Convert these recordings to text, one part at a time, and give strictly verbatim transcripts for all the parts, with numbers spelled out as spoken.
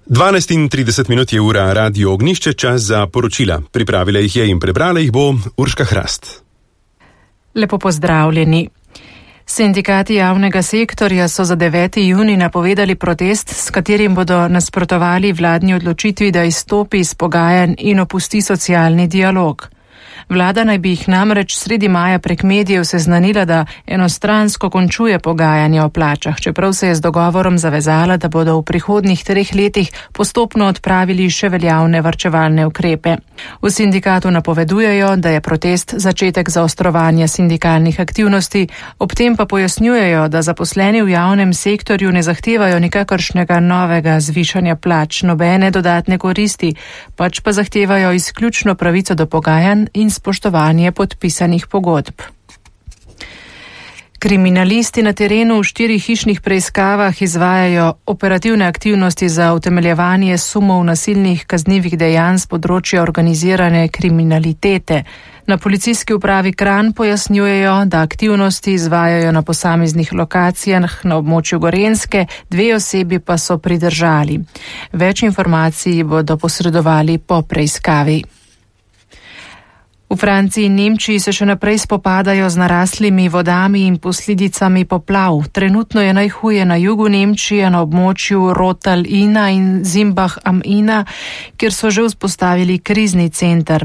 dvanajst in trideset minut je ura, Radio Ognjišče, čas za poročila. Pripravila jih je in prebrala jih bo Urška Hrast. Lepo pozdravljeni. Sindikati javnega sektorja so za deveti junij napovedali protest, s katerim bodo nasprotovali vladni odločitvi, da izstopi iz pogajanj in opusti socialni dialog. Vlada naj bi jih namreč sredi maja prek medijev seznanila, da enostransko končuje pogajanja o plačah, čeprav se je z dogovorom zavezala, da bodo v prihodnjih treh letih postopno odpravili še veljavne varčevalne ukrepe. V sindikatu napovedujejo, da je protest začetek zaostrovanja sindikalnih aktivnosti, ob tem pa pojasnjujejo, da zaposleni v javnem sektorju ne zahtevajo nikakršnega novega zvišanja plač, nobene dodatne koristi, pač pa zahtevajo izključno pravico do pogajanj in spoštovanje podpisanih pogodb. Kriminalisti na terenu v štirih hišnih preiskavah izvajajo operativne aktivnosti za utemeljevanje sumov nasilnih kaznivih dejanj z področja organizirane kriminalitete. Na policijski upravi Kranj pojasnjujejo, da aktivnosti izvajajo na posameznih lokacijah na območju Gorenjske, dve osebi pa so pridržali. Več informacij bodo posredovali po preiskavi. V Franciji in Nemčiji se še naprej spopadajo z naraslimi vodami in posledicami poplav. Trenutno je najhuje na jugu Nemčije na območju Rotal-Ina in Zimbach am Ina, kjer so že vzpostavili krizni center.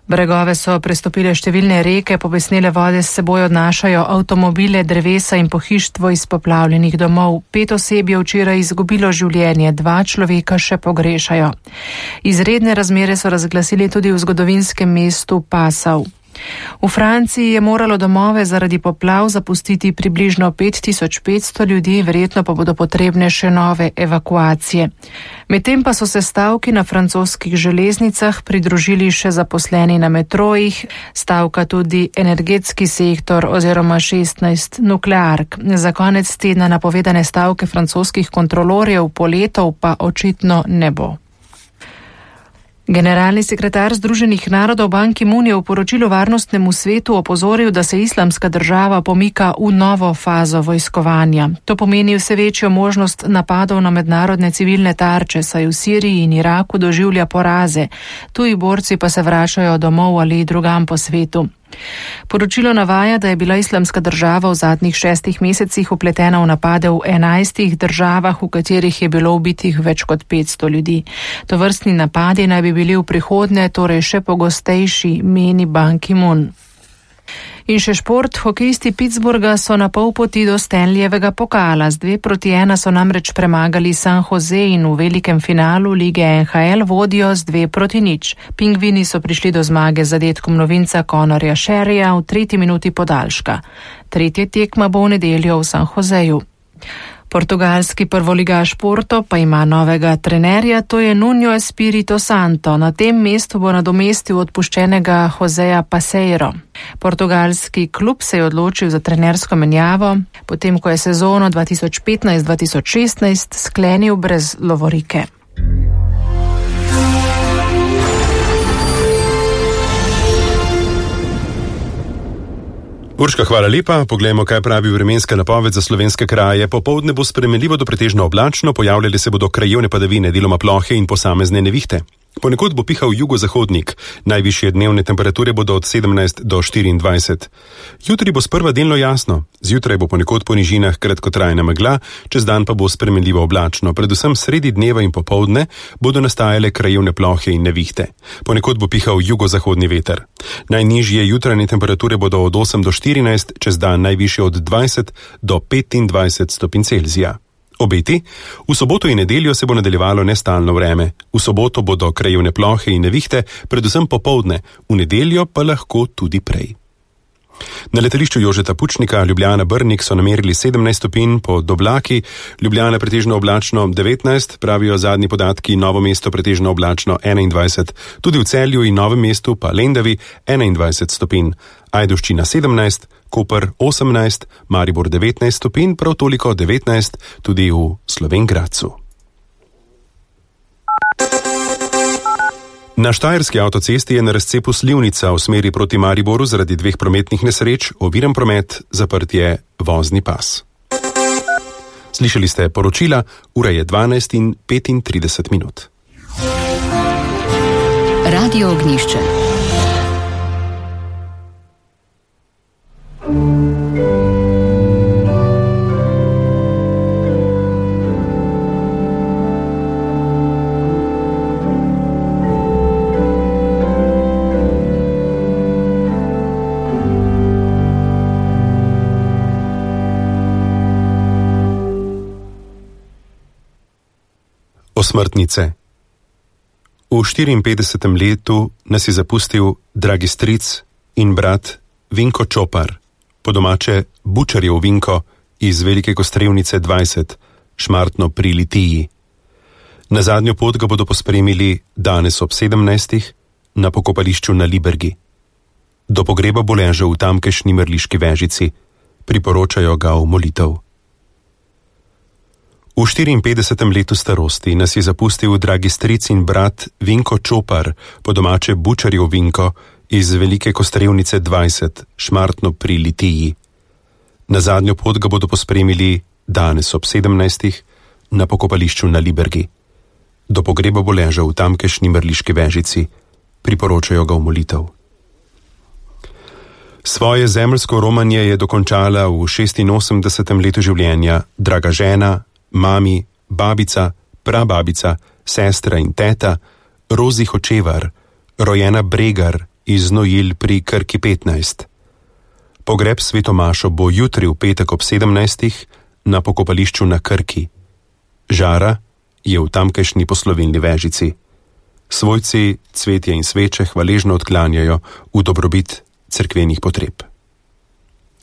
Bregove so prestopile številne reke, pobesnele vode s seboj odnašajo avtomobile, drevesa in pohištvo iz poplavljenih domov. Pet oseb je včeraj izgubilo življenje, dva človeka še pogrešajo. Izredne razmere so razglasili tudi v zgodovinskem mestu Passau. V Franciji je moralo domove zaradi poplav zapustiti približno pet tisoč petsto ljudi, verjetno pa bodo potrebne še nove evakuacije. Medtem pa so se stavki na francoskih železnicah pridružili še zaposleni na metrojih, stavka tudi energetski sektor oziroma šestnajst nukleark. Za konec tedna napovedane stavke francoskih kontrolorjev poletov pa očitno ne bo. Generalni sekretar Združenih narodov Ban Ki-moon je v poročilu Varnostnemu svetu opozoril, da se Islamska država pomika v novo fazo vojskovanja. To pomeni vse večjo možnost napadov na mednarodne civilne tarče, saj v Siriji in Iraku doživlja poraze. Tuji borci pa se vračajo domov ali drugam po svetu. Poročilo navaja, da je bila Islamska država v zadnjih šestih mesecih vpletena v napade v enajstih državah, v katerih je bilo ubitih več kot petsto ljudi. Tovrstni napadi naj bi bili v prihodnje torej še pogostejši, meni Ban Ki-moon. In še šport, hokejisti Pittsburgha so na pol poti do Stanleyjevega pokala. Z dve proti ena so namreč premagali San Jose in v velikem finalu lige N H L vodijo z dve proti nič. Pingvini so prišli do zmage z zadetkom novinca Conorja Sherryja v tretji minuti podaljška. Tretja tekma bo v nedeljo v San Joseju. Portugalski prvoligaš Porto pa ima novega trenerja, to je Nuno Espirito Santo. Na tem mestu bo nadomestil odpuščenega Joseja Paseiro. Portugalski klub se je odločil za trenersko menjavo, potem ko je sezono dva tisoč petnajst dva tisoč šestnajst sklenil brez lovorike. Urška, hvala lepa. Poglejmo, kaj pravi vremenska napoved za slovenske kraje. Popoldne bo spremenljivo do pretežno oblačno, pojavljale se bodo krajevne padavine, deloma plohe in posamezne nevihte. Ponekod bo pihal jugozahodnik, najvišje dnevne temperature bodo od sedemnajst do štiriindvajset. Jutri bo sprva delno jasno, zjutraj bo ponekod po nižinah kratkotrajna megla, čez dan pa bo spremenljivo oblačno, predvsem sredi dneva in popoldne bodo nastajale krajevne plohe in nevihte. Ponekod bo pihal jugozahodni veter. Najnižje jutranje temperature bodo od osem do štirinajst, čez dan najvišje od dvajset do petindvajset stopinj Celzija. Obeti? V soboto in nedeljo se bo nadaljevalo nestalno vreme. V soboto bodo krajevne plohe in nevihte, predvsem popoldne, v nedeljo pa lahko tudi prej. Na letališču Jožeta Pučnika Ljubljana-Brnik so namerili sedemnajst stopinj pod oblaki, Ljubljana pretežno oblačno devetnajst, pravijo zadnji podatki, Novo mesto pretežno oblačno enaindvajset, tudi v Celju in Novem mestu pa Lendavi enaindvajset stopinj, Ajdovščina sedemnajst, Koper osemnajst, Maribor devetnajst stopinj, prav toliko devetnajst tudi v Slovenj Gradcu. Na štajerski avtocesti je na razcepu Slivnica v smeri proti Mariboru zaradi dveh prometnih nesreč oviran promet, zaprt je vozni pas. Slišali ste poročila, ura je dvanajst in petintrideset minut. Radio Ognjišče. Osmrtnice. V štiriinpetdesetem letu nas je zapustil dragi stric in brat Vinko Čopar, po domače Bučarjev Vinko iz Velike Kostrevnice dvajset, Šmartno pri Litiji. Na zadnjo pot ga bodo pospremili danes ob sedemnajstih na pokopališču na Libergi. Do pogreba bo ležal v tamkajšnji Mrliški Vežici, priporočajo ga v molitev. V štiriinpetdesetem letu starosti nas je zapustil dragi stric in brat Vinko Čopar, po domače Bučarjev Vinko iz Velike Kostrevnice dvajset, Šmartno pri Litiji. Na zadnjo pot ga bodo pospremili danes ob sedemnajstih na pokopališču na Libergi. Do pogreba bo ležal v tamkajšnji Mrliški Vežici, priporočajo ga v molitev. Svoje zemeljsko romanje je dokončala v šestinosemdesetem letu življenja draga žena, mami, babica, prababica, sestra in teta Rozi Hočevar, rojena Bregar iz Znojil pri Krki petnajst. Pogreb svetomašo bo jutri v petek ob sedemnajstih na pokopališču na Krki. Žara je v tamkajšnji Poslovilni Vežici. Svojci cvetje in sveče hvaležno odklanjajo v dobrobit cerkvenih potreb.